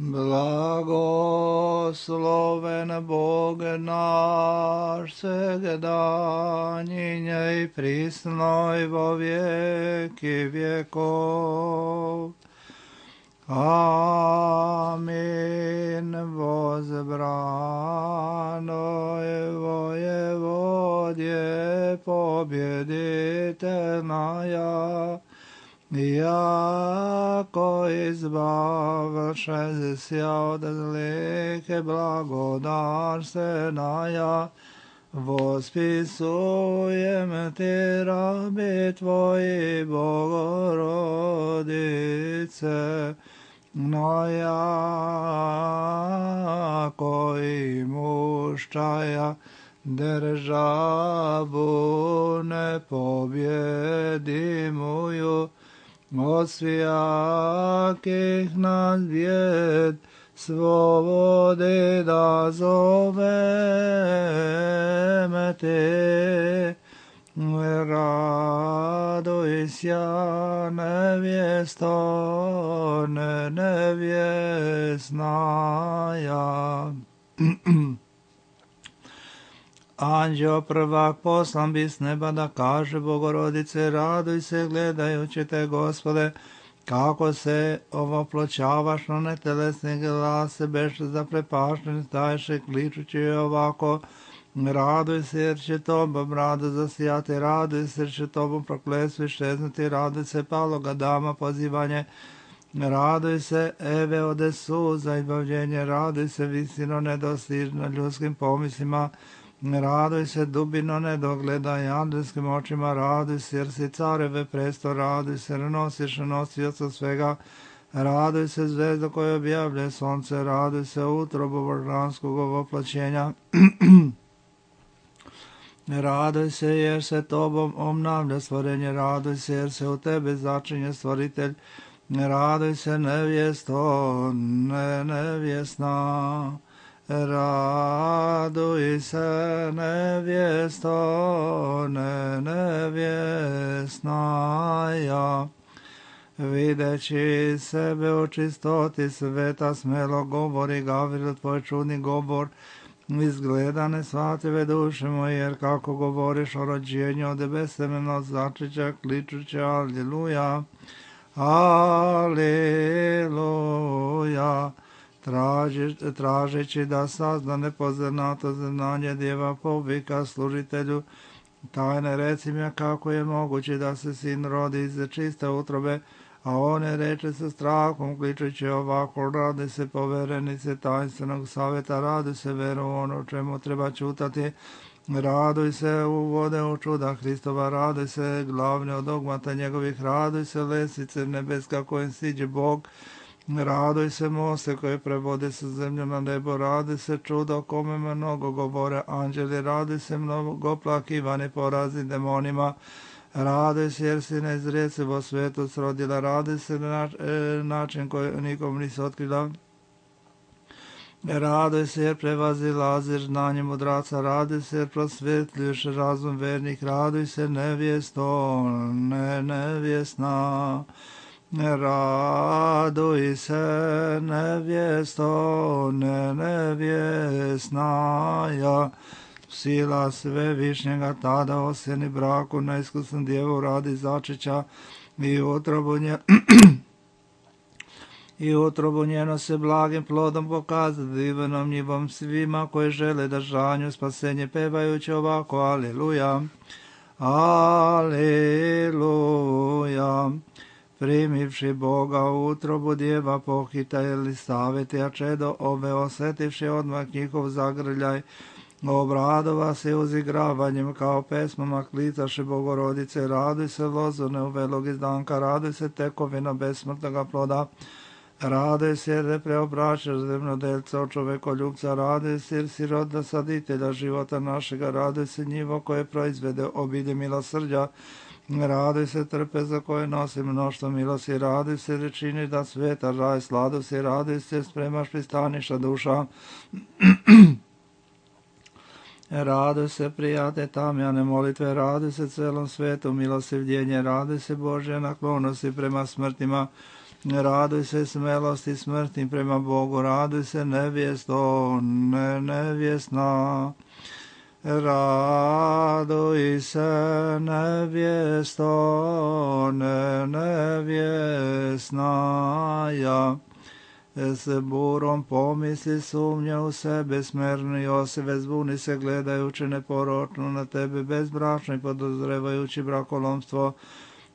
Blagosloven Bog naš, segda njinja i prisno i vo vijeki vjekov. Amin. Возбрано воеводje победительная, jako izbavše se od zlih blagodarstvenaja, vospisujem ti rabi tvoji, Bogorodice, moja koji muščaja državu nepobjedimuju, od svijakih nas bjed svobode da zoveme te. Raduj sja nevjesto, nevjesnaja. Anđeo prvak poslan bi s neba da kaže Bogorodice, raduj se gledajući te, Gospode, kako se ovoploćavaš na netelesni glas, beš zaprepašten, stajše kličući ovako, raduj se jer će tobom rado zasijati, raduj se jer će tobom prokletstvo iščeznuti, raduj se paloga dama pozivanje, raduj se Eve ode suza izbavljenje, raduj se visino nedostižno ljudskim pomislima, raduj se dubino nedogledaj andelskim očima, raduj se jer si careve presto, raduj se jer nosiš nosioca svega, raduj se zvezdo koje objavlja sonce, raduj se utrobu božanskog ovoplaćenja, raduj se jer se tobom obnavlja stvorenje, raduj se jer se u tebe začinje stvoritelj, raduj se nevjesto, nevjesna. Raduj se nevjesto, nevjesnaja. Videći sebe u čistoti sveta, smelo govori Gavril, tvoj čudni govor, izgleda nesvatljive duše moje, jer kako govoriš o rođenju od besemeno začeća, kličuće, aleluja, aleluja. Tražeći da sazna nepoznato znanje djeva povika služitelju tajne, reci mi kako je moguće da se sin rodi iz čiste utrobe, a one reče sa strahom kličući ovako, radi se poverenice tajnstvenog savjeta, radi se veru ono čemu treba čutati, raduj se uvode u čuda Hristova, raduj se glavne od dogmata njegovih, raduj se lesice nebeska kojim siđe Bog, raduj se moste koje prevode sa zemlju na nebo, raduj se čudo kome mnogo govore anđeli, raduj se mnogo plakivani porazi demonima, raduj se jer si neizrecivo svetu srodila, raduj se način koji nikom nisi otkrila, raduj se jer prevazilaziš znanje mudraca, raduj se jer prosvetljuješ razum vernih, raduj se nevjesto, nevjesna. Raduj se nevjesto, nevjesnaja. Sila svevišnjega tada osjeni braku na iskusnu djevu radi začeća i utrobu njeno se blagim plodom pokazati divanom njivom svima koji žele držanju spasenje pevajući ovako aleluja, aleluja. Primivši Boga u utrobu djeva pohita Elisaveti, a čedo ove osjetivši odmah njihov zagrljaj, obradova se uzigravanjem kao pesmama klicaše Bogorodice, raduj se lozone uvelog izdanka, raduj se tekovina besmrtnoga ploda, raduj se jer ne preobraćaš zemljodelca od čovekoljubca, raduj se jer si roda saditelja života našega, raduj se njivo koje proizvede obilje milosrđa, raduj se trpeza koje nosi mnoštvo milosti, raduj se jer činiš da sveta raj sladosti, raduj se spremaš pristaniša duša, raduj se prijate tamjane molitve, raduj se celom svetu milostivljenje, raduj se Božje naklonosti prema smrtima, Raduj se smelosti smrtni prema Bogu, raduj se nevjesto, nevjesna. Raduj se nevjesto, nevjesnaja. S burom pomisli sumnje u sebe, smerni Josive, zbuni se gledajući neporočno na tebe, bezbračno i podozrevajući brakolomstvo.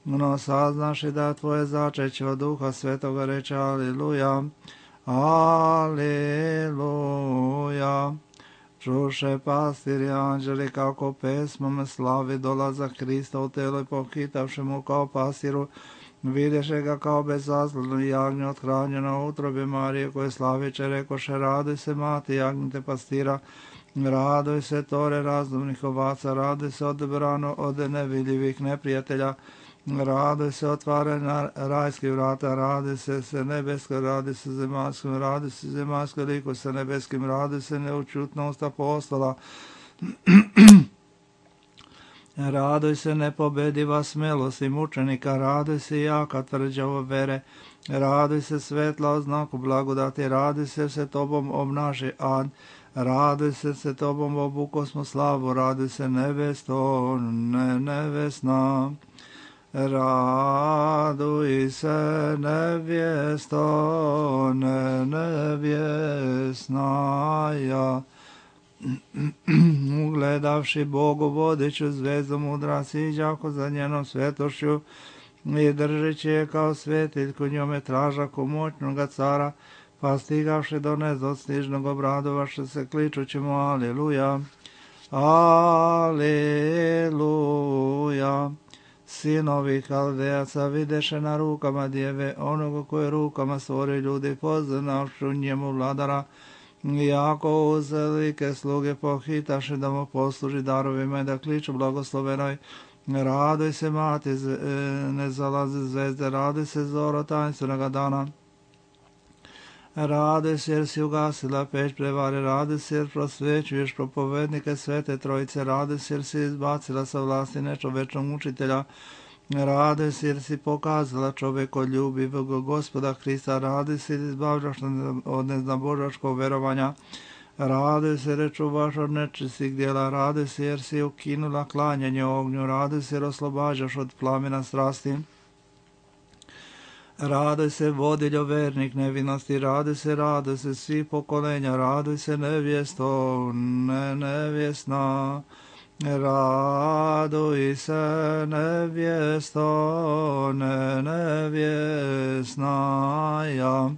No saznaš i da tvoje začeće od Duha Svetoga reče Aliluja, Aliluja. Čuše pastiri anđeli kako pesmom slavi dolazak Hrista u telo i pohitavši mu kao pastiru, videše ga kao bezazlenu jagnju othranjeno u utrobi Marije koje slaviće, rekoše raduj se mati jagnjete pastira, raduj se tore razumnih ovaca, raduj se odebrano od nevidljivih neprijatelja, raduj se otvaranja rajskih vrata, raduj se nebeskoj, raduj se zemaljskom, raduj se zemaljskoj liku sa nebeskim, raduj se neučutnost apostola, raduj se nepobediva smelost i mučenika, raduj se jaka tvrđava vere, raduj se svetla o znaku blagodati, raduj se tobom obnaši ad, raduj se tobom obukosmo slavu, raduj se nevesto, nevesna. Raduj se nevjesto, nevjesnaja. Ugledavši Bogu vodiću zvezdu mudra siđako za njenom svetošću i držeći je kao svetiljku njome tražaku moćnoga cara, pa stigavši do nedostižnog obradovaše se kličući mu Aliluja, Aliluja. Sinovi Kaldejaca videše na rukama djeve onoga koje rukama stvori ljudi, poznavšu njemu vladara, jako uz velike sluge pohitaše da mu posluži darovima i da kliču blagoslovenoj. Raduj se mati, ne zalazi zvezde, raduj se zoro tanstvenoga dana. Raduj se jer si ugasila peć prevare, raduj se jer prosvećuješ propovednike Svete Trojice, raduj se jer si izbacila sa vlasti nečovečnog učitelja, raduj se jer si pokazala čovjekoljubivog Gospoda Hrista, raduj se jer izbavljaš od neznabožačkog verovanja, raduj se jer čuvaš od nečistih djela, raduj se jer si ukinula klanjanje ognju, raduj se jer oslobađaš od plamena strasti. Raduj se vodiljo vernik nevinosti, raduj se svi pokolenja, raduj se nevjesto, nevjesna, raduj se nevjesto, nevjesnaja.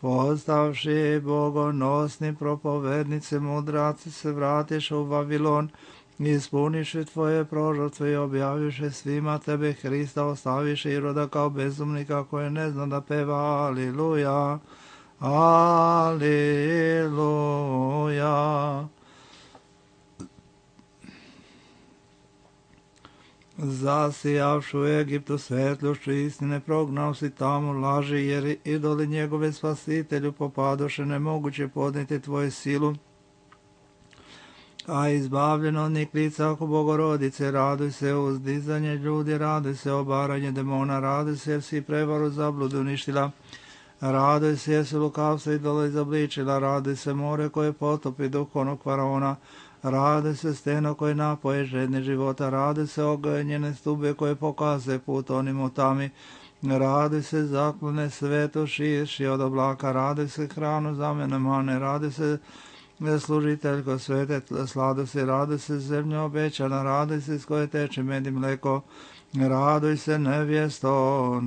Postavši bogonosni propovednice mudraci se vratiš u Vavilon, ispuniše tvoje prožrtve i objaviše svima tebe Hrista, ostaviše Iroda kao bezumnika koje ne zna da peva Aliluja, Aliluja. Zasijavšu u Egiptu svetlošću istine, prognao si tamo laži, jer idoli njegove spasitelju popadoše, nemoguće podnijeti tvoju silu. A izbavljeno od lica oko Bogorodice, raduj se uzdizanje ljudi, raduj se obaranje demona, raduj se jer si prevaru zabludu uništila, raduj se jer si lukavstvo idola izobličila, raduj se more koje potopi duh onog faraona, raduj se steno koje napoje žedne života, raduj se ognjene stube koje pokaze put onim u tami, raduj se zaklone svetu širši od oblaka, raduj se hranu zamene mane, raduj se služiteljko svete sladosti, raduj se zemlja obećana, raduj se s koje teče med i mleko, raduj se nevjesto,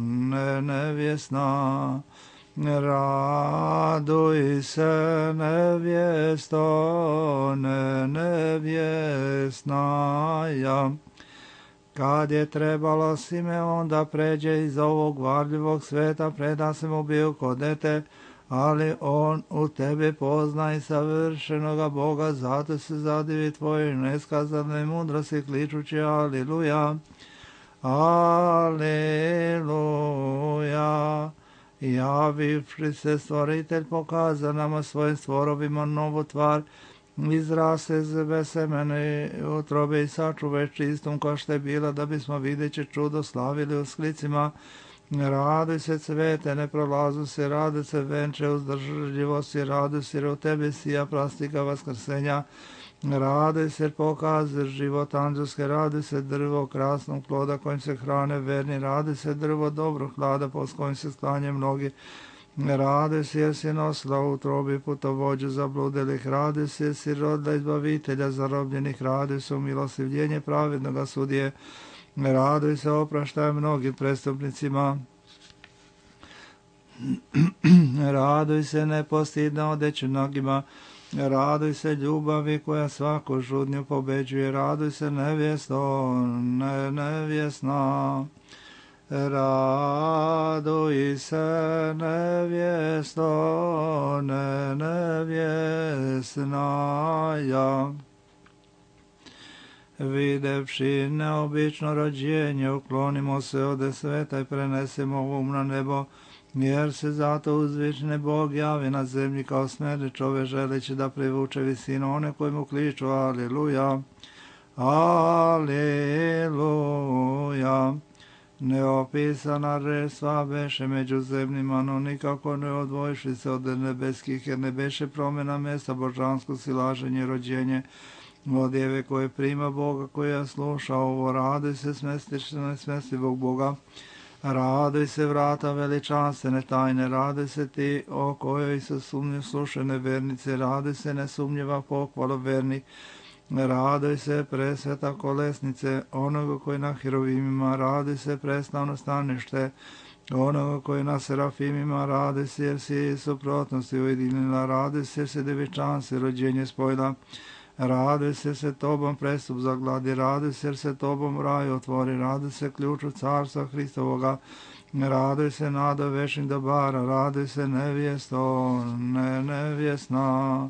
nevjesna, raduj se nevjesto, nevjesnaja. Kad je trebalo Simeon da pređe iz ovog varljivog sveta, preda se mu bio kod dete, ali on u tebi pozna i savršenoga Boga, zato se zadivi tvojoj neskazanoj mudrosti, kličući Aliluja, Aliluja. Javivši se stvoritelj pokaza nama svojim stvorovima novu tvar, izrase zbe semene utrobe i sačuve čistom kao što je bila, da bismo videći čudo slavili u sklicima. Raduj se cvete, ne prolazu se, raduj se venče uzdržljivosti, raduj se u tebi sija plastika vaskrsenja, raduj se pokazuješ život anđelske, raduj se drvo krasnog ploda kojim se hrane verni, raduj se drvo dobrog hlada s kojim se sklanje mnogi, raduj se jer si nosila u utrobi putovođu zabludilih, raduj se jer si rodila izbavitelja zarobljenih, raduj se u milostivljenje pravednoga sudije, raduj se opraštaj mnogim prestupnicima, raduj se nepostidna odeću nogima, raduj se ljubavi koja svaku žudnju pobeđuje, raduj se nevjesto, nevjesna, raduj se nevjesto, nevjesnaja. Videvši neobično rođenje, uklonimo se ode sveta i prenesemo um na nebo, jer se zato uzvični Bog javi na zemlji kao smrdi čove želeći da privuče visinu one koji mu kliču aleluja, aleluja. Neopisana restva beše među zemljima, no nikako ne odvojiši se od nebeskih, jer ne beše promjena mjesta božansko silaženje rođenje od djeve koje prima Boga, koja sluša ovo, raduj se smestivog Boga, raduj se vrata veličanstvene tajne, raduj se ti o kojoj se sumnju slušene vernice, raduj se nesumnjiva pohvalo verni, raduj se presveta kolesnice onoga koji na hirovimima, raduj se preslavno stanište onoga koji na serafimima, raduj se jer si suprotnosti ujedinila, raduj se jer si devičanstvo rođenje spojila, raduj se tobom prestup zagladi, raduj se jer se tobom raj otvori, raduj se ključu carstva Hristovoga, raduj se nada večnih dobara, raduj se nevjesto, nevjesna,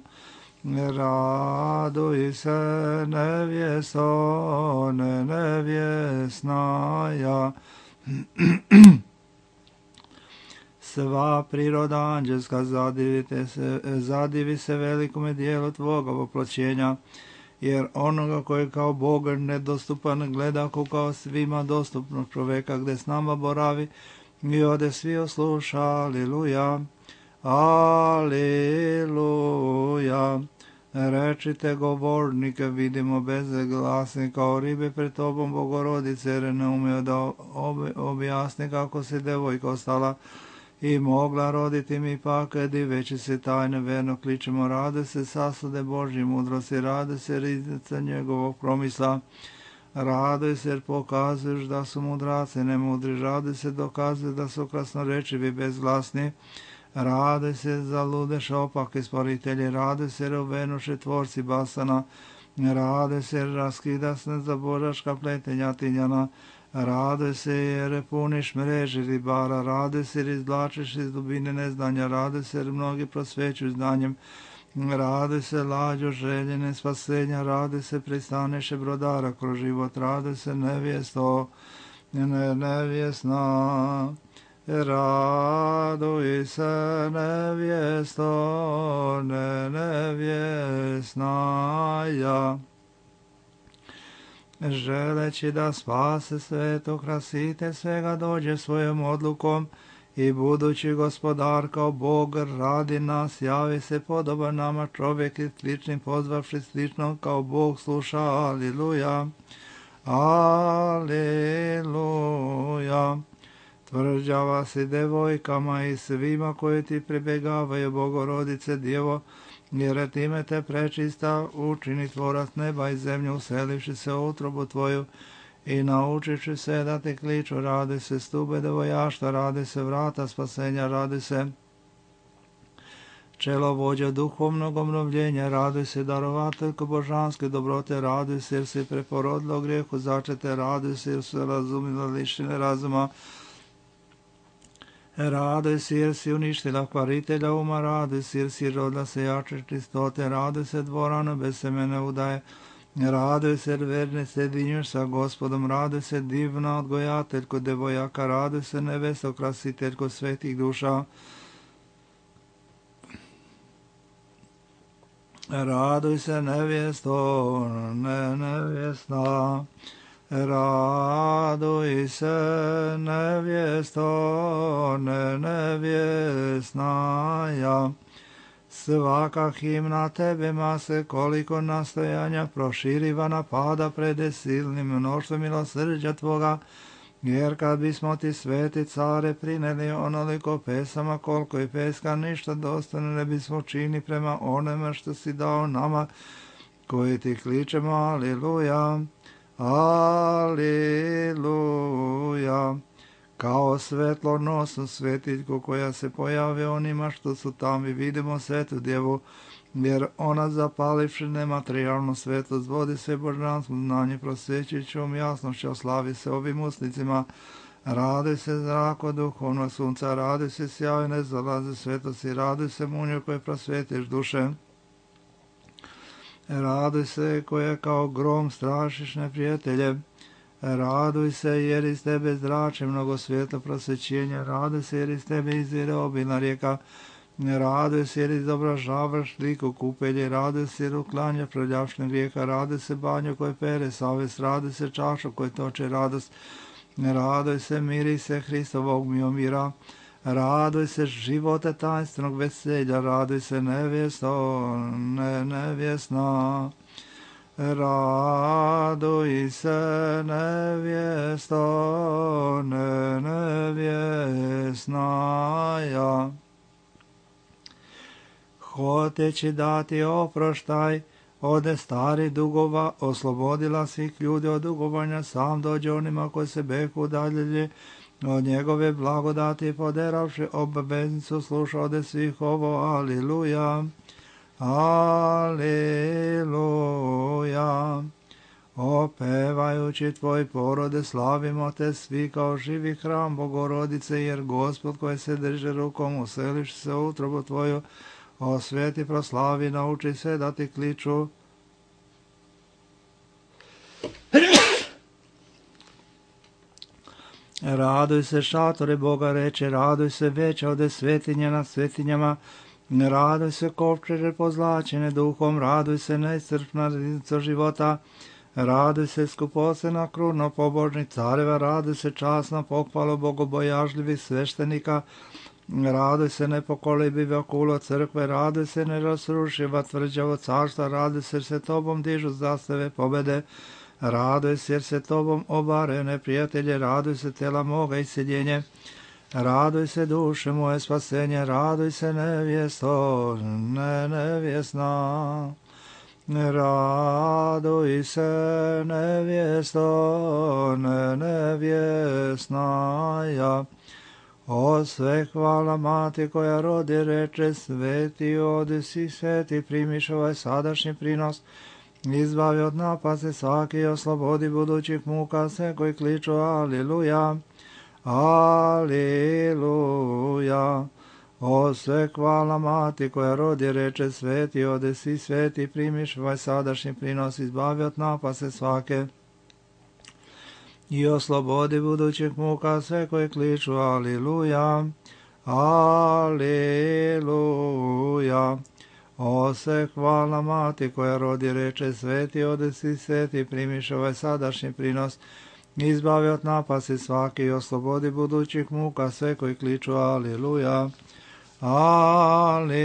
raduj se nevjesto, nevjesnaja. Sva priroda anđelska zadivi se velikome dijelu tvoga oploćenja, jer onoga koji kao Bog nedostupan gleda kao svima dostupnog čoveka gdje s nama boravi i ode svi osluša, aleluja, aleluja. Rečite govornike, vidimo bezglasni kao ribe pred tobom Bogorodice, jer ne umio da objasni kako se devojka ostala i mogla roditi mi pak, diveći se tajne verno kličemo, rade se sasude Božje mudrosti, rade se riznica njegovog promisla, rade se jer pokazuješ da su mudraci nemudri, rade se dokazuje da su krasnorečivi bezglasni, rade se zaludeš opake stvoritelji, rade se rovenuše tvorci basana, rade se raskidasne za božaška pletenja tinjana, rade se jer puniš mreži ribara, rade se jer izvlačiš iz dubine neznanja, rade se jer mnogi prosvećuju znanjem, rade se lađo željene spasenja, rade se pristaneše brodara kroz život, rade se nevjesto, nevjesna, raduj se nevjesto, nevjesnaja. Želeći da spase sveto, krasite svega dođe svojom odlukom i budući gospodar kao Bog radi nas, javi se podoban nama čovjek i sličnim pozvavši slično kao Bog sluša, aleluja, aleluja. Tvrđava si devojkama i svima koji ti pribjegavaju, Bogorodice Djevo, jer time te prečista učini tvorac neba i zemlju, uselivši se u utrobu tvoju i naučiši se da ti kliču, radi se stube devojašta, radi se vrata spasenja, radi se čelo vođa duhovnog obnovljenja, radi se darovateljko božanske dobrote, radi se jer si preporodila u grijehu začete, radi se jer su razumila lišine razuma, raduj se jer si uništila kvaritelja uma, raduj se jer si rodila se jače čistote, raduj se dvorano bez semene udaje, raduj se jer verne sjedinješ sa Gospodom, raduj se divna odgojateljko devojaka, raduj se nevesto krasiteljko svetih duša, raduj se nevjesto, nevjesna, Raduj se, nevjesto nevjesnaja. Svaka himna tebima se koliko nastojanja proširiva napada prede silnim mnoštvom milosrđa tvoga, jer kad bismo ti, sveti care, prineli onoliko pesama koliko i peska ništa dostojno ne bismo čini prema onome što si dao nama, koji ti kličemo aliluja, aliluja. Kao svetlonosnu svetiljku koja se pojavi onima što su tamo, i vidimo svetu djevu, jer ona zapalivši nematerijalno svetlost vodi sve božansko znanje, prosvećujućom jasnošću slavi se ovim usnicima. Raduj se zrako duhovno sunca, raduj se sjajne zalaze svetosti, raduj se munju koje prosvetiš duše. Raduj se koje kao grom strašiš neprijatelje. Raduj se jer iz tebe zrači mnogo svjetlo prosvećenja. Raduj se jer iz tebe izvire obilna rijeka. Raduj se jer izobražavaš liku kupelje. Raduj se jer uklanja prljavšnje grijeha. Raduj se banju koje pere savest. Raduj se čašu koje toče radost. Raduj se, miri se Hristovog mira. Raduj se živote tajnstvenog veselja. Raduj se nevjesto nevjesna. Raduj se, nevjesto nevjesnaja. Hoteći dati oproštaj ode stari dugova, oslobodila svih ljudi od dugovanja, sam dođe onima koji se beku udaljili od njegove blagodati, poderavši obaveznicu, sluša ode svih ovo, aliluja. Aleluja. Opevajući tvoj porode, slavimo te svi kao živi hram Bogorodice, jer Gospod koji se drže rukom, useliš se u utrobu tvoju, osveti, proslavi, nauči se da ti kliču. Raduj se, šatore Boga reče, raduj se, veća ode svetinja nad svetinjama. Raduj se, kovčeže pozlačene duhom, raduj se, neiscrpna riznica života. Raduj se, skupocena kruna pobožnih careva, raduj se, časna pohvala bogobojažljivih sveštenika. Raduj se, nepokolebiva kulo crkve, raduj se, nerasrušiva tvrđavo carstva, raduj se, jer se tobom dižu zastave pobede. Raduj se, jer se tobom obare neprijatelje, raduj se, tela moga isceljenje. Raduj se, duše moje spasenje, raduj se, nevjesto nevjesna. Raduj se, nevjesto nevjesnaja. O sve hvala mati koja rodi reče, sveti odi si, sveti primiš ovaj sadašnji prinos. Izbavi od napasti svaki, oslobodi budućih muka sve koji kliču aliluja. Aliluja. O sve hvala mati koja rodi reče, sveti ode si, sveti primiš ovaj sadašnji prinos, izbavi od napasti svake i oslobodi budućih muka sve koji kliču aliluja. Aliluja. O sve hvala mati koja rodi reče, sveti ode si, sveti primiš ovaj sadašnji prinos, izbavi od napasti svaki i oslobodi budućih muka sve koji kliču aliluja. Aliluja.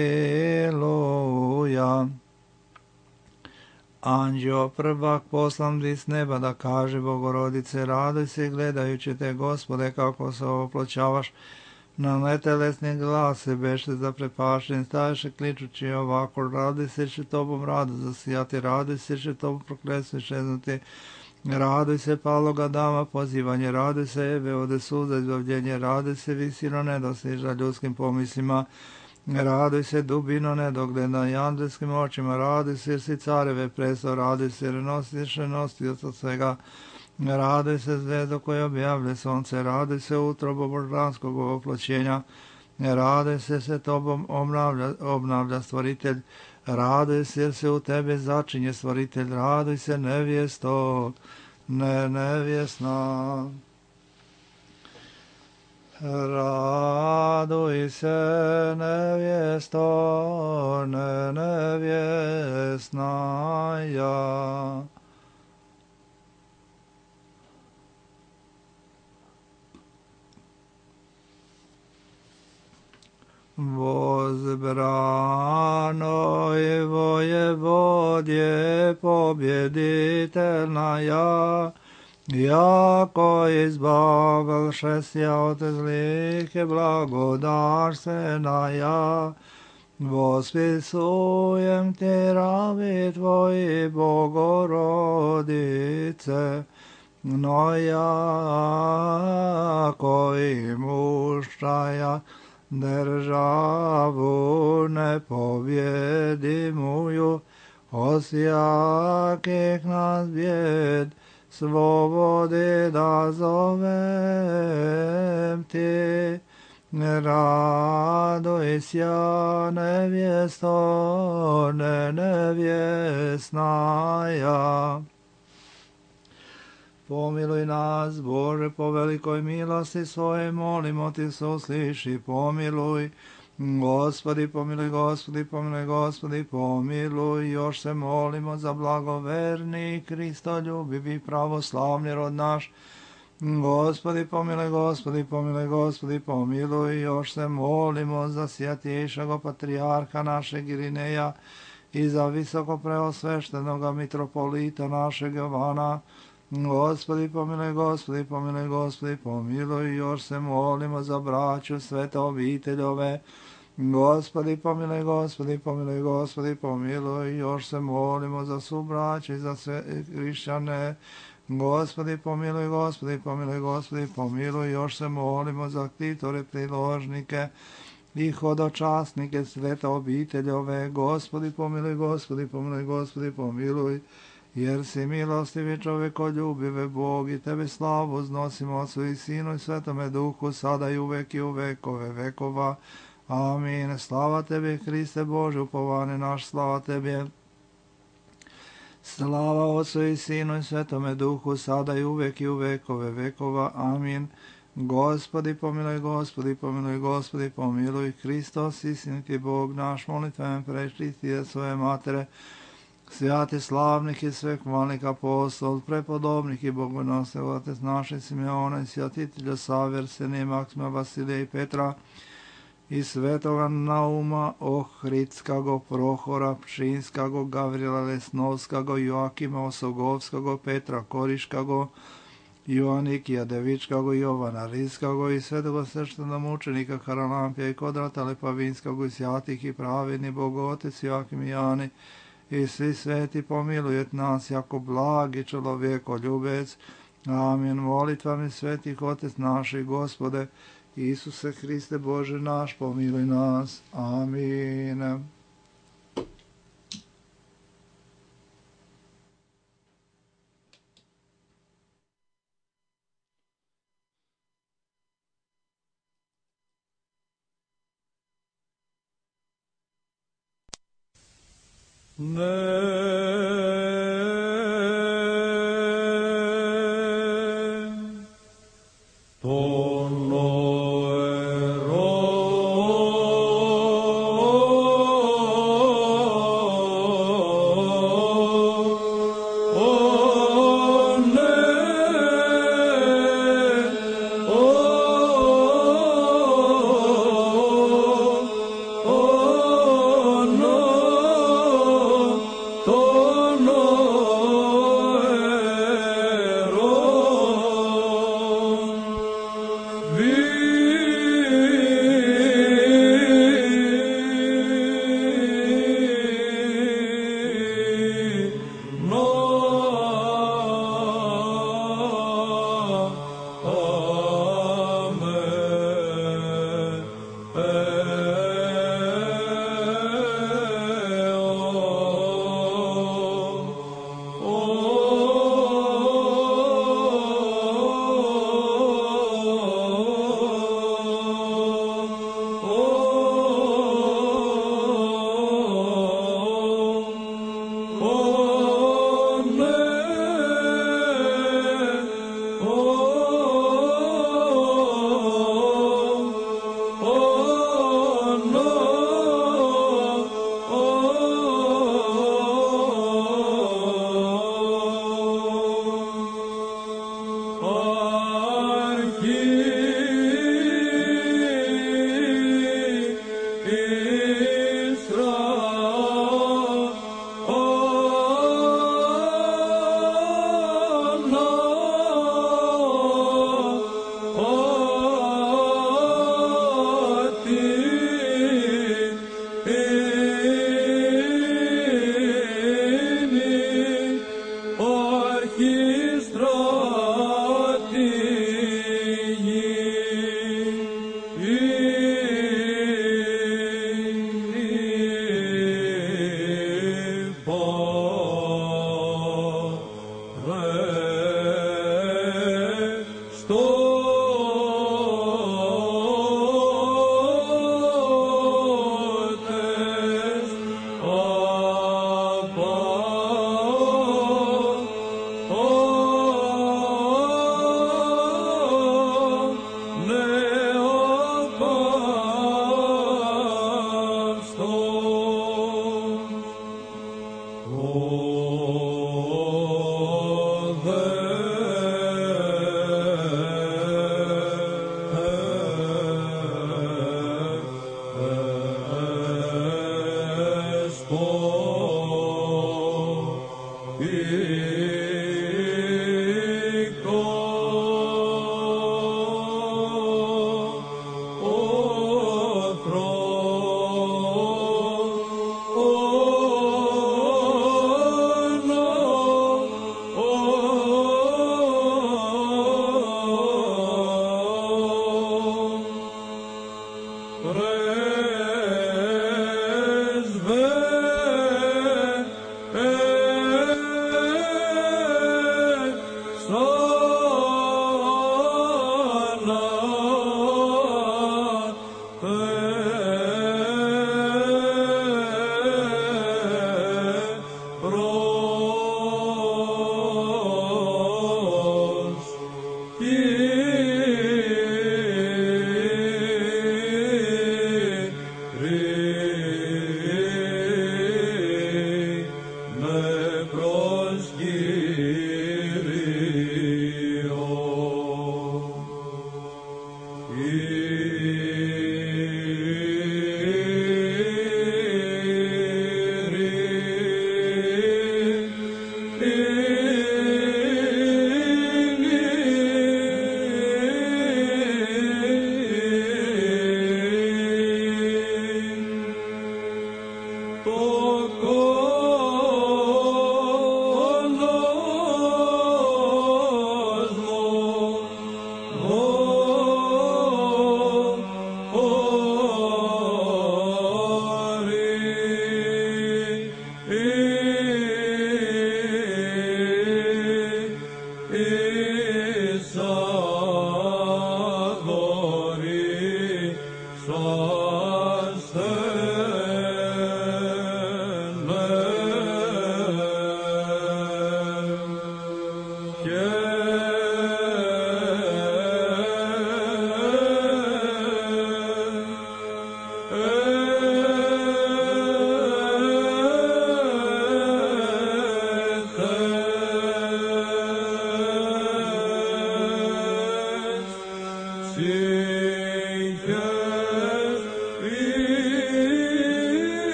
Anđeo prvak poslan s neba da kaže Bogorodice, raduj se gledajući te, Gospode, kako se oploćavaš na netelesni glas se beše zaprepašten, staješe kličući ovako, raduj se će tobom rado zasijati, raduj se će tobom prokletstvo iščeznuti, raduj se paloga dama pozivanje, raduj se Eve ode suza izbavljenje, raduj se visino nedostižna ljudskim pomislima, raduj se dubino nedogledna i andelskim očima, raduj se jer si careve presto, raduj se jer nosiš nositi od svega, raduj se zvezdo koje objavlja sonce, raduj se utrobo božanskog oploćenja, raduj se tobom obnavlja stvoritelj, raduj se jer se u tebe začinje stvoritelj, raduj se nevjesto nevjesna. Raduj se nevjesto nevjesnaja. Gospod je pobjeditelja, jako izbavlšesja od zlih blagodarstvena. Vospisujem ti ravi tvoji, Bogorodice, no jako imuščaja državu nepobjedimuju, osjakih nas bjed slobodi da zovem ti. Radujся, nevjesto, nevjesnaja. Pomiluj nas, Bože, po velikoj milosti svoje, molimo ti se usliši, pomiluj. Gospodi, pomiluj, Gospodi, pomiluj, Gospodi, pomiluj. Još se molimo za blagoverni, kristoljubivi, pravoslavni rod naš. Gospodi, pomiluj, Gospodi, pomiluj, Gospodi, pomiluj. Još se molimo za sjatjejšega patrijarha našeg Irineja i za visoko preosveštenoga mitropolita našeg Jovana. Gospodi, pomiluj, Gospodi, pomiluj, Gospodi, pomiluj. Još se molimo za braću svete obiteljove. Gospodi, pomiluj, Gospodi, pomiluj, Gospodi, pomiluj. Još se molimo za subraće i za sve hrišćane. Gospodi, pomiluj, Gospodi, pomiluj, Gospodi, pomiluj. Još se molimo za ktitore, priložnike i hodočasnike svete obiteljove. Gospodi, pomiluj, Gospodi, pomiluj, Gospodi, pomiluj. Jer si milostivi čovekoljubive Bog i tebe slavu uznosimo Otcu i Sinu i Svetome Duhu, sada i uvek i u vekove vekova. Amin. Slava tebi, Hriste Bože, upovane naš, slava tebi. Slava Otcu i Sinu i Svetome Duhu, sada i uvek i u vekove vekova. Amin. Gospodi, pomiluj, Gospodi, pomiluj, Gospodi, pomiluj. Hristos, istiniti Bog naš, molitven prečistije svoje matere, svjati slavnih i sveh malih apostol, prepodobnih i bogonosnih otec naše Simeona i svjatitelja Save, Arsenija, Maksima, Vasilija i Petra, i svetoga Nauma, Ohridskago, Prohora, Pšinskago, Gavrijela Lesnovskago, Joakima Osogovskago, Petra Koriškago, Joanikija Devičkago, Jovana Rijskago i svetoga sveštenomučenika Haralampija i Kodrata Lepavinskago i svjatih i pravedni Bogotec Joakim i Jani i svi sveti pomilujet nas jako blagi čovjekoljubec. Amin. Molitvami svetih Otec naših, Gospode, Isuse Hriste Bože naš, pomiluj nas. Amin. To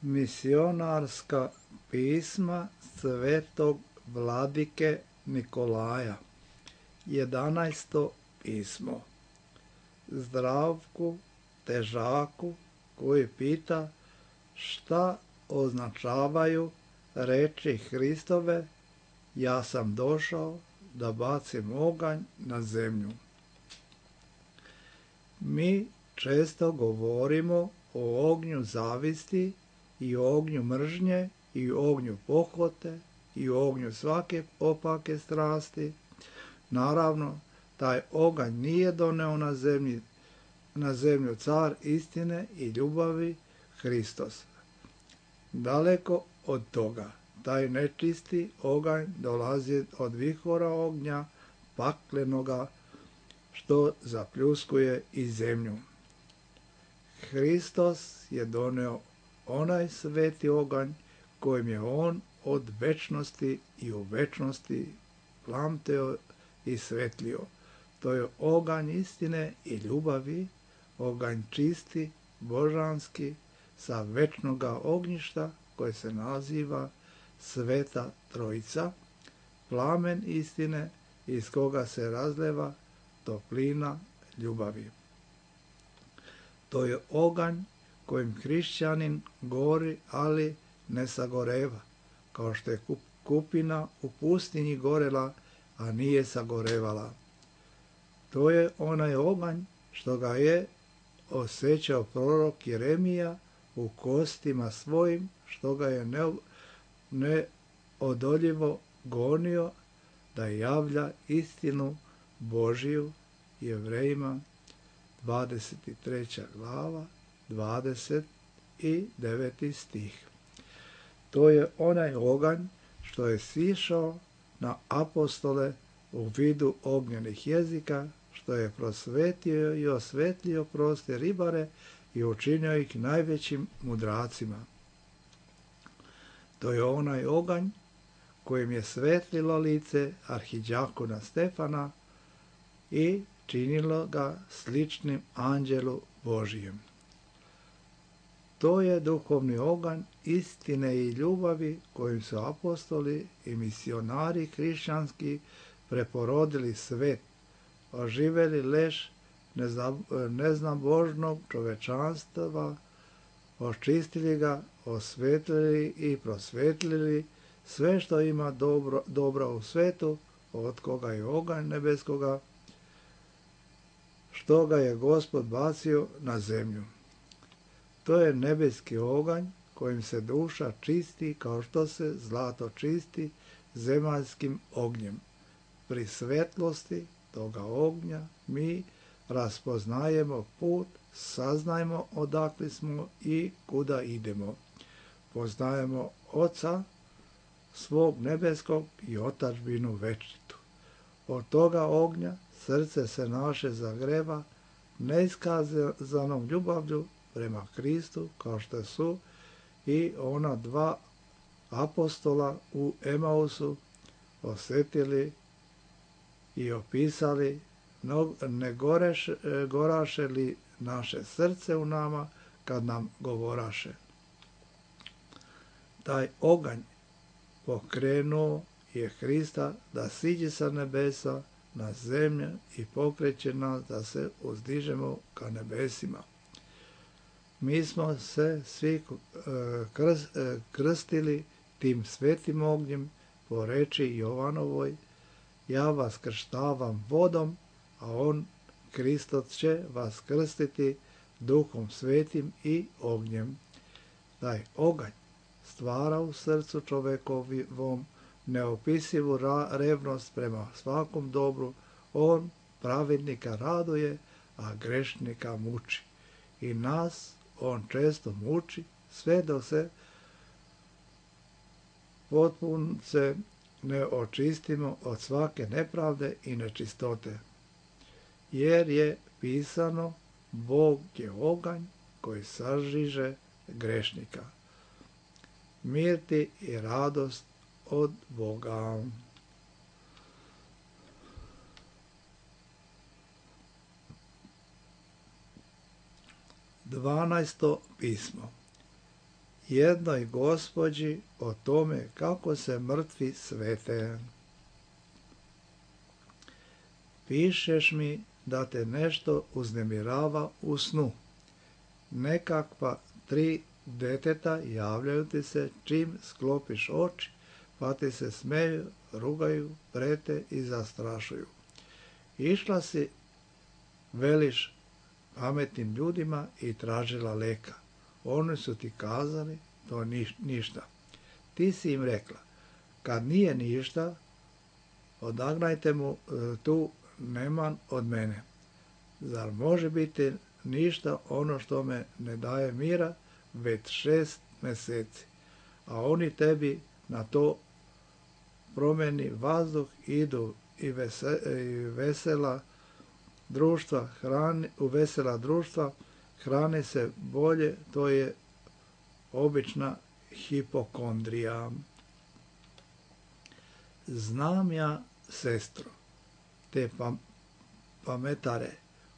Misionarska pisma svetog vladike Nikolaja. 11. pismo. Zdravku Težaku koji pita šta označavaju reči Hristove: ja sam došao da bacim oganj na zemlju. Mi često govorimo o ognju zavisti i o ognju mržnje i o ognju pohote i o ognju svake opake strasti. Naravno, taj oganj nije doneo na zemlju car istine i ljubavi Hristos. Daleko od toga, taj nečisti oganj dolazi od vihora ognja paklenoga što zapljuskuje i zemlju. Hristos je doneo onaj sveti oganj kojim je on od večnosti i u večnosti plamteo i svetlio. To je oganj istine i ljubavi, oganj čisti, božanski, sa večnoga ognjišta koje se naziva Sveta Trojica, plamen istine iz koga se razleva toplina ljubavi. To je oganj kojim hrišćanin gori, ali ne sagoreva, kao što je kupina u pustinji gorela, a nije sagorevala. To je onaj oganj što ga je osjećao prorok Jeremija u kostima svojim, što ga je neodoljivo gonio da javlja istinu Božiju. Jevrejima 23. glava, 29. stih. To je onaj oganj što je sišao na apostole u vidu ognjenih jezika, što je prosvetio i osvetlio proste ribare i učinio ih najvećim mudracima. To je onaj oganj kojim je svetlilo lice arhidjakona Stefana i činilo ga sličnim anđelu Božijem. To je duhovni oganj istine i ljubavi kojim su apostoli i misionari hrišćanski preporodili svet, oživeli leš neznabožnog čovečanstva, očistili ga, osvetlili i prosvetlili sve što ima dobro u svetu, od koga je oganj nebeskoga, što ga je Gospod bacio na zemlju. To je nebeski oganj kojim se duša čisti kao što se zlato čisti zemaljskim ognjem. Pri svetlosti toga ognja mi raspoznajemo put, saznajemo odakle smo i kuda idemo. Poznajemo Oca svog nebeskog i otadžbinu večitu. Od toga ognja srce se naše zagreva neiskazanom ljubavlju prema Kristu, kao što su i ona dva apostola u Emausu osjetili i opisali, ne goraše li naše srce u nama kad nam govoraše. Taj oganj pokrenuo je Hrista da siđe sa nebesa na zemlju i pokreće nas da se uzdižemo ka nebesima. Mi smo se svi krstili tim svetim ognjem po reči Jovanovoj: ja vas krštavam vodom, a on, Hristos, će vas krstiti Duhom Svetim i ognjem. Taj oganj stvara u srcu čovekovom neopisivu revnost prema svakom dobru. On pravednika raduje, a grešnika muči. I nas on često muči, sve dok se potpunce ne očistimo od svake nepravde i nečistote. Jer je pisano: Bog je oganj koji sažiže grešnika. Mir ti i radost od Boga. Dvanaesto pismo. Jednoj Gospođi o tome kako se mrtvi svete. Pišeš mi da te nešto uznemirava u snu. Nekakva 3 deteta javljaju ti se čim sklopiš oči, pa ti se smeju, rugaju, prete i zastrašuju. Išla si, veliš pametnim ljudima i tražila leka. Oni su ti kazali, to ništa. Ti si im rekla: kad nije ništa, odagnajte mu tu neman od mene. Zar može biti ništa ono što me ne daje mira već 6 mjeseci? A oni tebi na to promeni vazduh, idu i vesela društva hrani se bolje, to je obična hipokondrija. Znam ja, sestro, te pametare,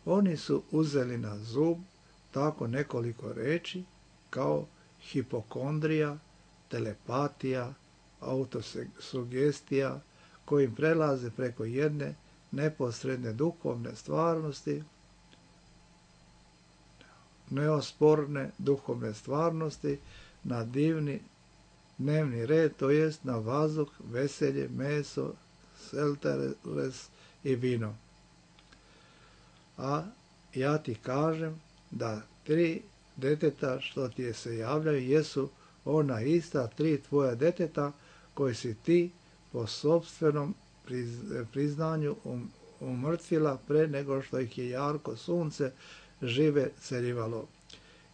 oni su uzeli na zub tako nekoliko reči kao hipokondrija, telepatija, autosugestija, kojim prelaze preko jedne neposredne duhovne stvarnosti, neosporne duhovne stvarnosti na divni dnevni red, to jest na vazduh, veselje, meso, selteres i vino. A ja ti kažem da 3 deteta što ti se javljaju jesu ona ista 3 tvoja deteta koji si ti po sopstvenom priznanju umrtvila pre nego što ih je jarko sunce žive celjivalo.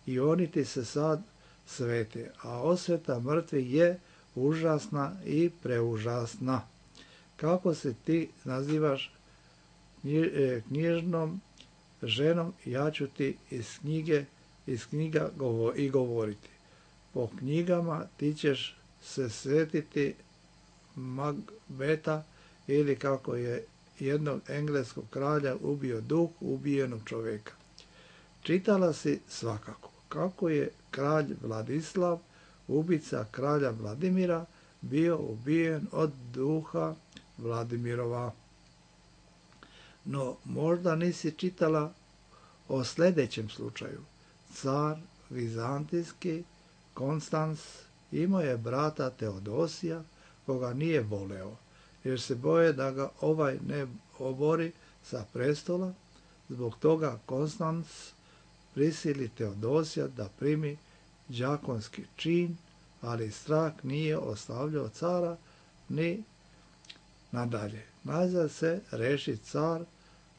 I oni ti se sad svete, a osveta mrtvih je užasna i preužasna. Kako se ti nazivaš knjižnom ženom, ja ću ti iz knjiga i govoriti. Po knjigama ti ćeš se svetiti Magbeta, ili kako je jednog engleskog kralja ubio duh ubijenog čovjeka. Čitala si svakako kako je kralj Vladislav, ubica kralja Vladimira, bio ubijen od duha Vladimirova. No, možda nisi čitala o sljedećem slučaju. Car vizantijski Konstans imao je brata Teodosija, koga nije voleo, jer se boje da ga ovaj ne obori sa prestola. Zbog toga Konstans prisili Teodosija da primi đakonski čin, ali strah nije ostavljao cara ni nadalje. Nazad se reši car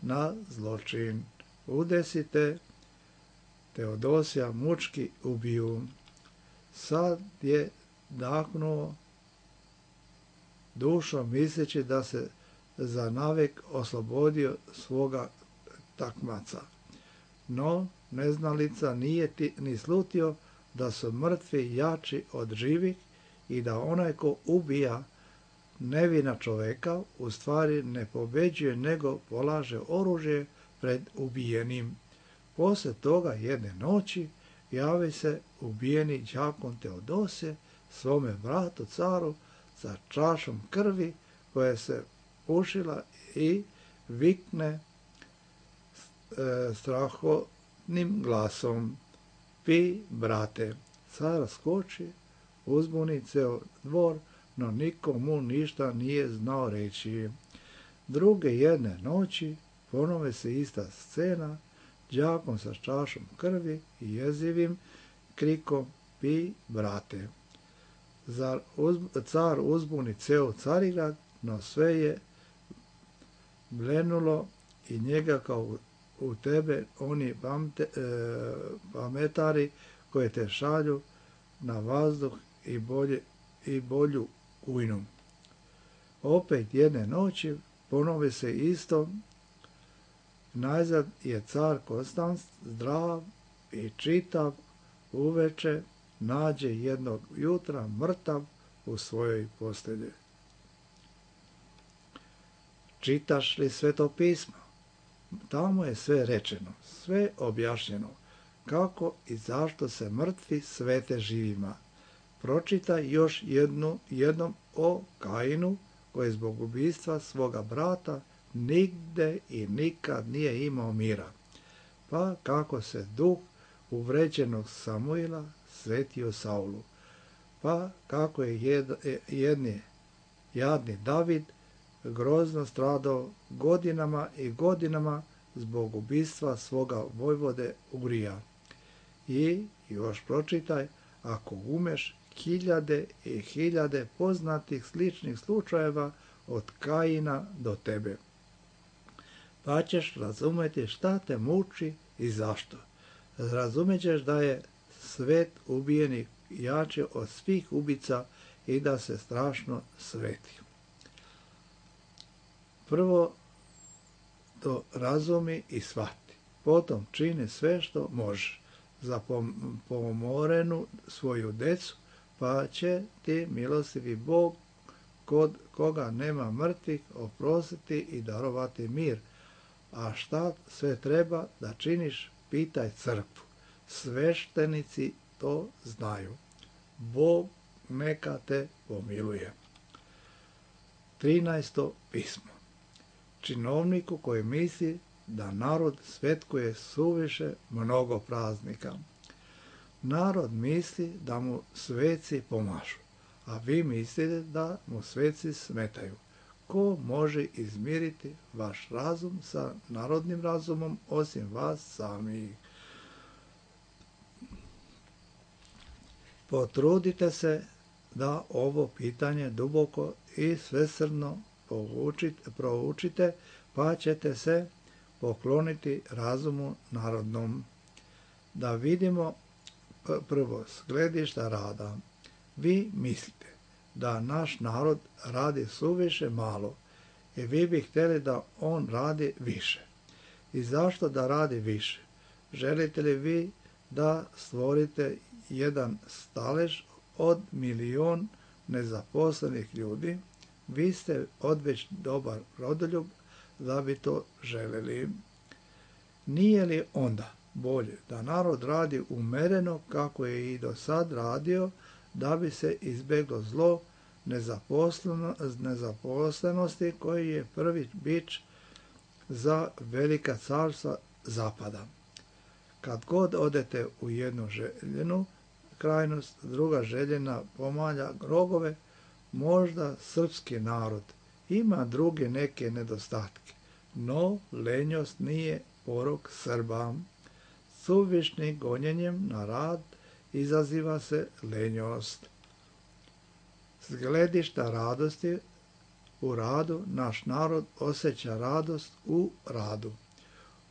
na zločin. Udesite Teodosija mučki ubiju. Sad je dahnuo dušom misleći da se za navek oslobodio svoga takmaca. No, neznalica nije ni slutio da su mrtvi jači od živih i da onaj ko ubija nevina čoveka u stvari ne pobeđuje nego polaže oružje pred ubijenim. Poslije toga jedne noći javi se ubijeni đakon Teodosije svome bratu caru sa čašom krvi koja se pušila i vikne strahotnim glasom: pi, brate. Car skoči, uzbuni ceo dvor, no niko mu ništa nije znao reći. Druge jedne noći ponove se ista scena, đakon sa čašom krvi i jezivim krikom: pi, brate. Car uzbuni ceo Carigrad, no sve je blenulo i njega kao u tebe oni pametari koje te šalju na vazduh i bolju ujnu. Opet jedne noći ponovi se isto. Najzad je car Konstans zdrav i čitav uveče nađe jednog jutra mrtav u svojoj postelji. Čitaš li Sveto pismo? Tamo je sve rečeno, sve objašnjeno, kako i zašto se mrtvi svete živima. Pročitaj još jednom o Kainu, koji zbog ubistva svoga brata nigde i nikad nije imao mira. Pa kako se duh uvređenog Samuila svetio Saulu. Pa kako je jadni David grozno stradao godinama i godinama zbog ubistva svoga vojvode Urija. I još pročitaj, ako umeš, hiljade i hiljade poznatih sličnih slučajeva od Kaina do tebe. Pa ćeš razumjeti šta te muči i zašto. Razumećeš da je svet ubijenih jači od svih ubica i da se strašno sveti. Prvo to razumi i shvati. potom čini sve što možeš za pomorenu svoju decu, pa će ti milostivi Bog, kod koga nema mrtvih, oprostiti i darovati mir. A šta sve treba da činiš, pitaj crkvu. Sveštenici to znaju. Bog neka te pomiluje. 13. pismo. Činovniku koji misli da narod svetkuje suviše mnogo praznika. Narod misli da mu sveci pomažu, a vi mislite da mu sveci smetaju. Ko može izmiriti vaš razum sa narodnim razumom osim vas samih? Potrudite se da ovo pitanje duboko i svesrdno proučite, pa ćete se pokloniti razumu narodnom. Da vidimo prvo s gledišta rada. Vi mislite da naš narod radi suviše malo i vi bi htjeli da on radi više. I zašto da radi više? Želite li vi da stvorite jedan stalež od 1.000.000 nezaposlenih ljudi? Vi ste odveć dobar rodoljub da bi to želeli. Nije li onda bolje da narod radi umereno kako je i do sad radio, da bi se izbjeglo zlo nezaposlenosti koji je prvi bič za velika carstva zapada? Kad god odete u jednu željenu krajnost, druga željena pomalja rogove. Možda srpski narod ima druge neke nedostatke, no lenjost nije porok Srba. Suvišnim gonjenjem na rad izaziva se lenjost. S gledišta radosti u radu naš narod osjeća radost u radu.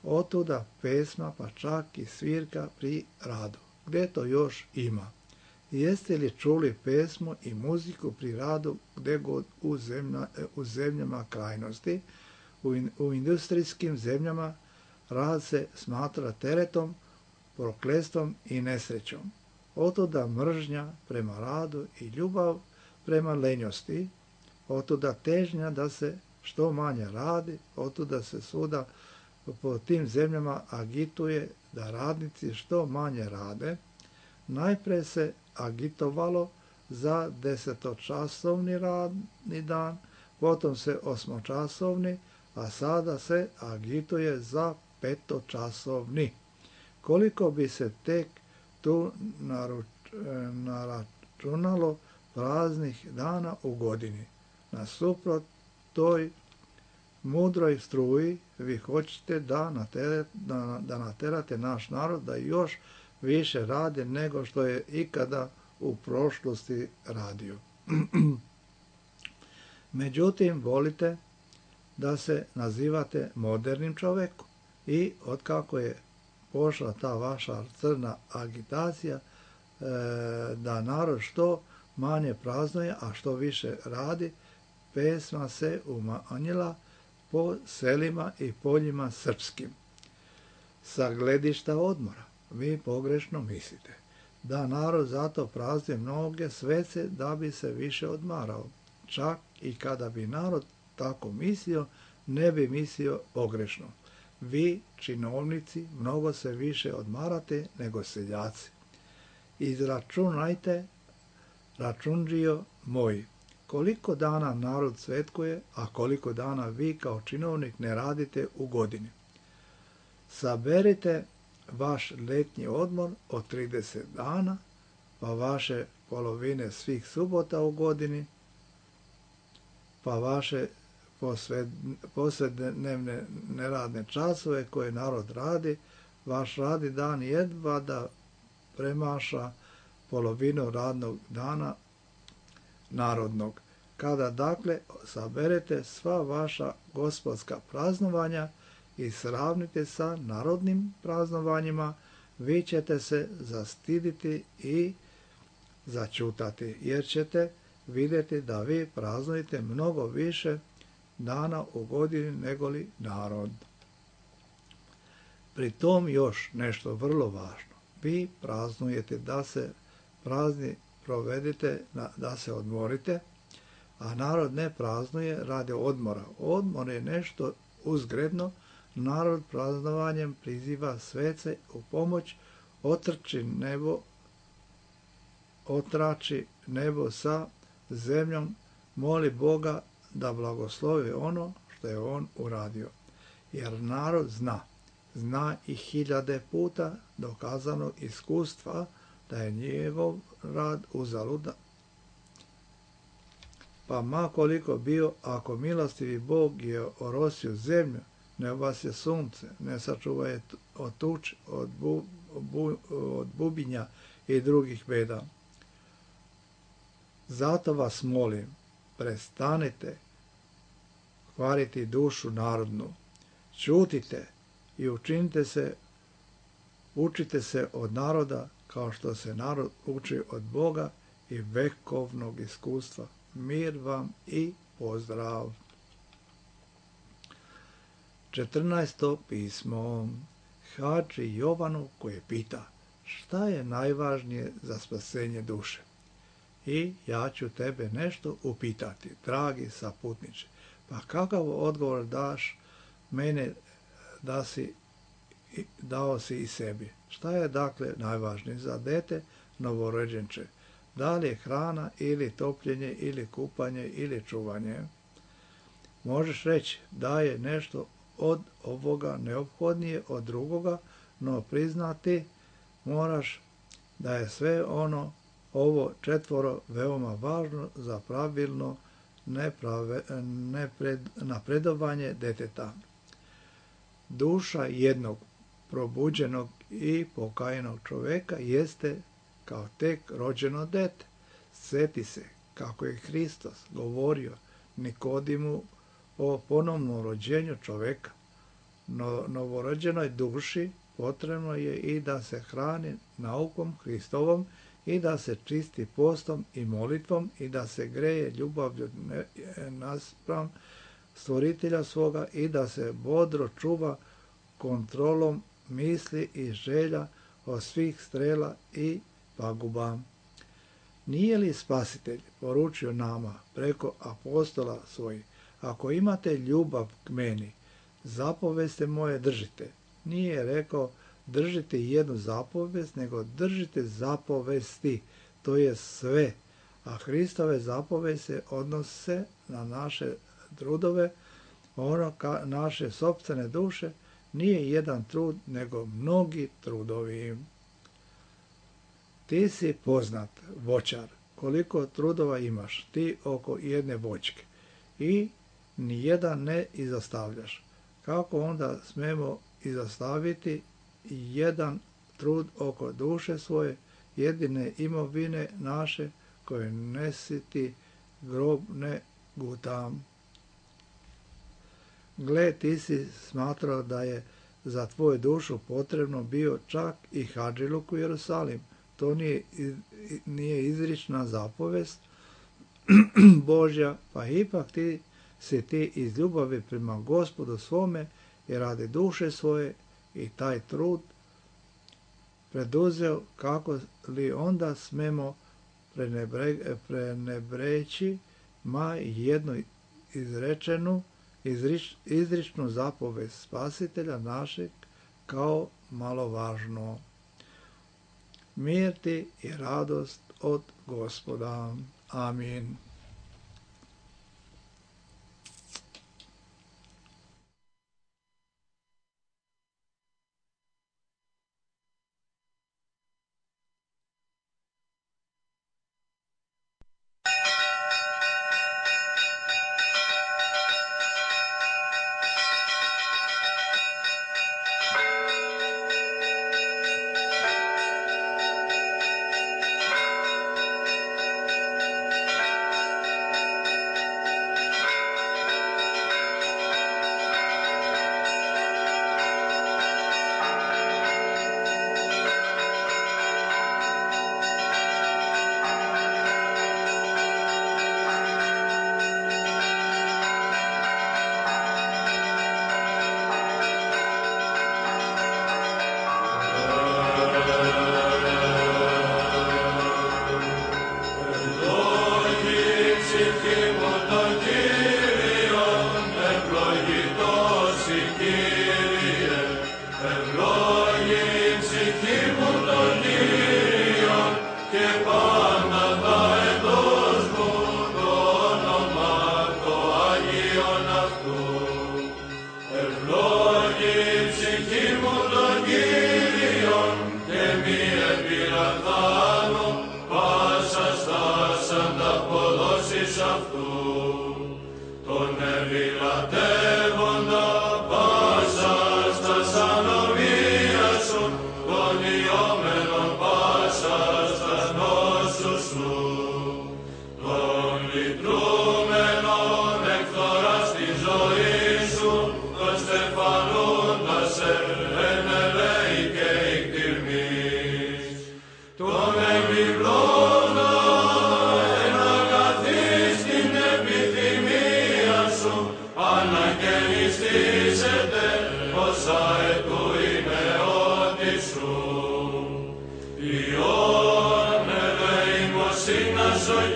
Otuda pesma pa čak i svirka pri radu. Gdje to još ima? Jeste li čuli pesmu i muziku pri radu gdje god u zemljama krajnosti? U industrijskim zemljama rad se smatra teretom, prokletstvom i nesrećom. Otuda mržnja prema radu i ljubav prema lenjosti. Otuda težnja da se što manje radi. Otuda se svuda po tim zemljama agituje da radnici što manje rade. Najprije se agitovalo za 10-časovni radni dan, potom se 8-časovni, a sada se agituje za 5-časovni. Koliko bi se tek tu naračunalo praznih dana u godini? Nasuprot toj mudroj struji vi hoćete da naterate naš narod da još više radi nego što je ikada u prošlosti radio. Međutim, volite da se nazivate modernim čovjekom i otkako je pošla ta vaša crna agitacija da narod što manje praznuje, a što više radi, pesma se umanjila po selima i poljima srpskim. Sa gledišta odmora vi pogrešno mislite da narod zato praznuje mnoge svece da bi se više odmarao. Čak i kada bi narod tako mislio, ne bi mislio pogrešno. Vi, činovnici, mnogo se više odmarate nego seljaci. Izračunajte, računđio moj, koliko dana narod svetkuje, a koliko dana vi kao činovnik ne radite u godini. Saberite vaš letnji odmor od 30 dana, pa vaše polovine svih subota u godini, pa vaše posrednevne neradne časove koje narod radi, vaš radni dan jedva da premaša polovinu radnog dana narodnog. Kada dakle saberete sva vaša gospodska praznovanja i sravnite sa narodnim praznovanjima, vi ćete se zastiditi i začutati, jer ćete vidjeti da vi praznujete mnogo više dana u godini negoli narod. Pri tom još nešto vrlo važno. Vi praznujete da se prazni provedite, da se odmorite, a narod ne praznuje radi odmora. Odmor je nešto uzgredno. Narod praznovanjem priziva svece u pomoć, otrači nebo sa zemljom, moli Boga da blagoslovi ono što je on uradio. Jer narod zna i 1000 puta dokazanog iskustva da je njegov rad uzaludan. Pa ma koliko bio, ako milostivi Bog je orosio zemlju, ne obasje sunce, ne sačuva je od tuče, od bubinja i drugih beda. Zato vas molim, prestanite kvariti dušu narodnu, ćutite i učite se od naroda kao što se narod uči od Boga i vekovnog iskustva. Mir vam i pozdrav. 14. pismo Hadži Jovanu koji pita šta je najvažnije za spasenje duše. I ja ću tebe nešto upitati, dragi saputniče. Pa kakav odgovor daš mene dao si i sebi? Šta je dakle najvažnije za dete novorođenče? Da li je hrana ili topljenje ili kupanje ili čuvanje? Možeš reći da je nešto od ovoga neophodnije od drugoga, no priznati moraš da je sve ovo 4 veoma važno za pravilno napredovanje deteta. Duša jednog probuđenog i pokajanog čoveka jeste kao tek rođeno dete. Sjeti se kako je Hristos govorio Nikodimu o ponovnom rođenju čoveka. Novorođenoj duši potrebno je i da se hrani naukom Hristovom i da se čisti postom i molitvom i da se greje ljubavlju naspram stvoritelja svoga i da se bodro čuva kontrolom misli i želja od svih strela i paguba. Nije li Spasitelj poručio nama preko apostola svojih, ako imate ljubav k meni, zapovesti moje držite. Nije rekao držite jednu zapovest, nego držite zapovesti, to je sve. A Hristove zapovesti se odnose na naše trudove, naše sopstvene duše, nije jedan trud, nego mnogi trudovi. Ti si poznat voćar, koliko trudova imaš ti oko jedne voćke i nijedan ne izostavljaš. Kako onda smemo izostaviti jedan trud oko duše svoje, jedine imovine naše, koje nesiti grob ne gutam? Gle, ti si smatrao da je za tvoju dušu potrebno bio čak i hadžiluk u Jerusalim. To nije izrična zapovest Božja, pa ipak ti iz ljubavi prema Gospodu svome i radi duše svoje i taj trud preduzeo, kako li onda smemo prenebreći jednu izričnu zapovest Spasitelja našeg kao malovažno. Mir ti i radost od Gospoda. Amin.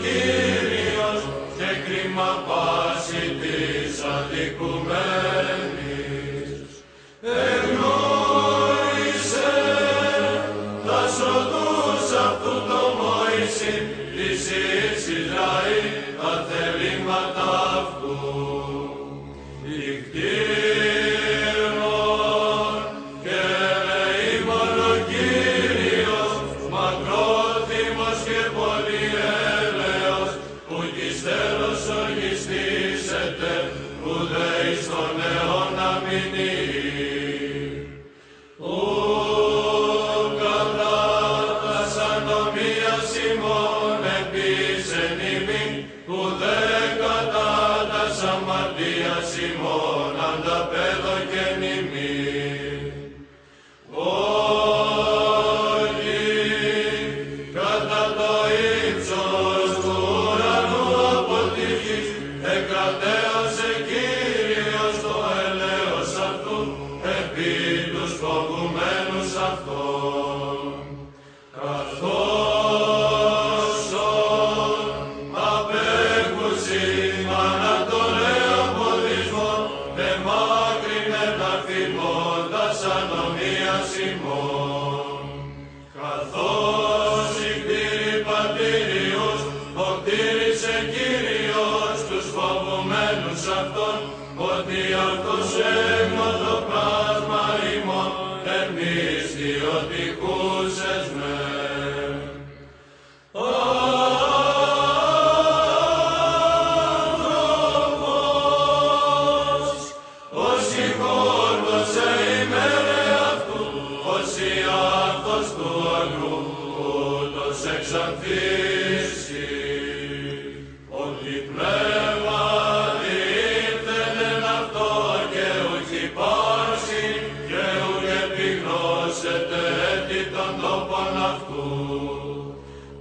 Κύριος και κρίμα πάση της αδικουμένης. Εγνώρισε τας οδούς αυτού το Μωυσή, της Ισραήλ τα θελήματα αυτού. Ικτήρων και ελεήμων ο Κύριος, μακρόθυμος και πολυέλεος, που της τέλος οργιστήσεται, που δε εις τον αιώνα μείνει. Κατά τας ανομίας ημών επίσεν ημίν, που δε κατά τας αμαρτίας ημών ανταπέδωκεν ημίν. Όχι κατά το ύψος του ουρανού από τη γης, εκρατέωσε Κύριος το έλεος αυτού επί τους φοβουμένους αυτών. Καθώς απέχουσιν ανατολέα ποδισμών, εμάκρυνε τα φημώντας ανομίας ημών. Καθώς οι κτήροι πατήριους, οκτήρισε Κύριος τους φοβουμένους αυτών, ότι αυτός έγνωτο πράσμα ημών, εμείς διοτυχούσες με. Άνθρωπος, όσοι χόρτωσε ημέρε αυτού, όσοι αυτός του αγρού, ούτως εξανθήσει. Ότι πνεύμα διήρθεν αυτό και ουκ υπάρξει, και ουκ επιγνώσεται έτη των τόπων αυτού.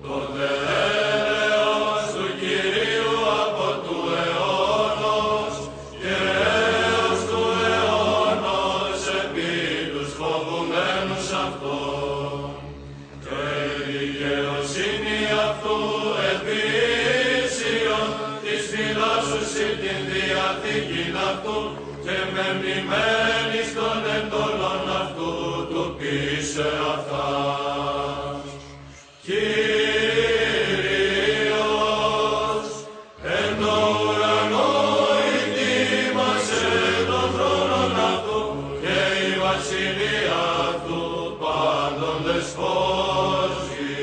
Το δε έλεος του Κυρίου από του αιώνος και έως του αιώνος επί τους φοβουμένους αυτών. Και η δικαιοσύνη αυτού επί ίσιον της φυλάσσουσι την διαθήκην αυτού και μεμνημένης των εντολών αυτού του πείσε αυτάς. Κύριος εν το ουρανό ητήμασε των θρόνων αυτού και η βασιλεία αυτού πάντων δεσπόζει.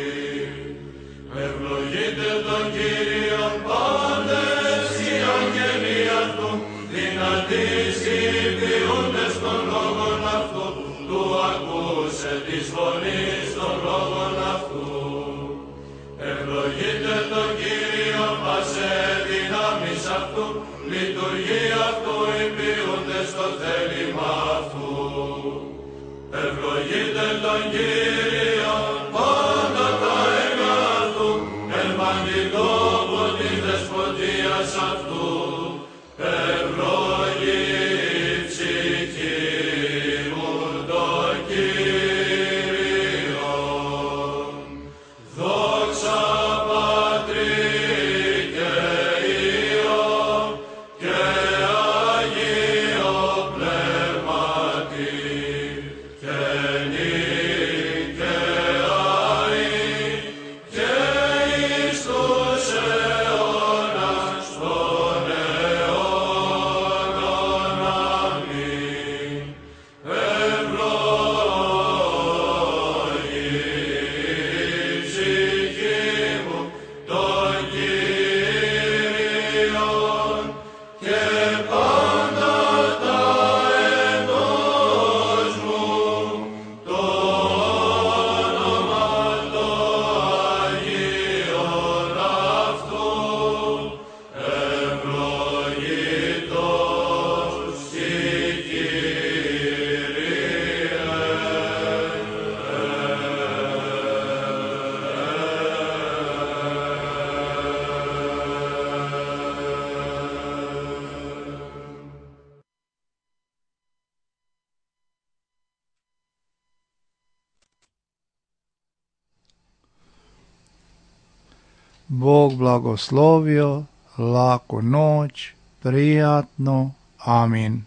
Ευλογείτε τον Κύριον πάντες οι αγγελοί αυτού, δυνατείς οι ποιούντες των λόγων αυτού, του ακούσε της φωνής των λόγων αυτού. Ευλογείτε τον Κύριο πασέ δυνάμεις αυτού, λειτουργεί αυτού οι ποιούντες στο θέλημα αυτού. Ευλογείτε τον Κύριο πάντα τα έργα αυτού, ευαγγελόμου της δεσποτείας αυτού. Ευλογή ψυχή μου το Κύριο. Δόξα Πατρί και Υιό και Αγίο Πνεύματι και νυν Bog blagoslovio, laku noć, prijatno, amin.